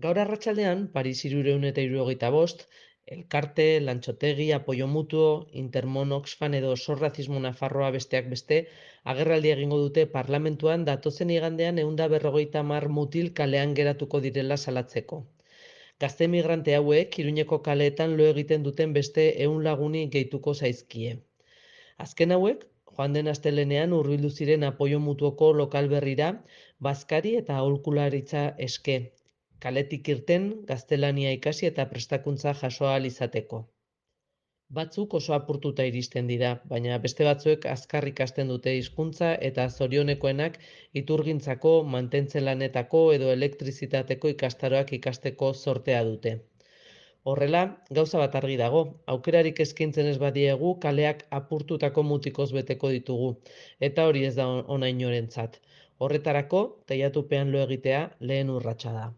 Gaur arratsaldean, Paris 375, Elkarte, Lantxotegi, Apoio Mutuo, Intermon Oxfam edo Sorrazismo Nafarroa besteak beste, agerraldia egingo dute parlamentuan datozen igandean 150 mutil kalean geratuko direla salatzeko. Gazte migrante hauek Iruñeko kaleetan lo egiten duten beste 100 laguni gehituko zaizkie. Azken hauek, joan den astelehenean hurbildu ziren Apoio Mutuoko lokal berrira, bazkari eta aholkularitza eske, kaletik irten, gaztelania ikasi eta prestakuntza jaso ahal izateko. Batzuk oso apurtuta iristen dira, baina beste batzuek azkar ikasten dute hizkuntza eta zorionekoenak iturgintzako, mantentze lanetako edo elektrizitateko ikastaroak ikasteko zortea dute. Horrela, gauza bat argi dago, aukerarik eskaintzen ez badiegu kaleak apurtutako mutikoz beteko ditugu, eta hori ez da ona inorentzat. Horretarako, teilatupean lo egitea lehen urratsa da.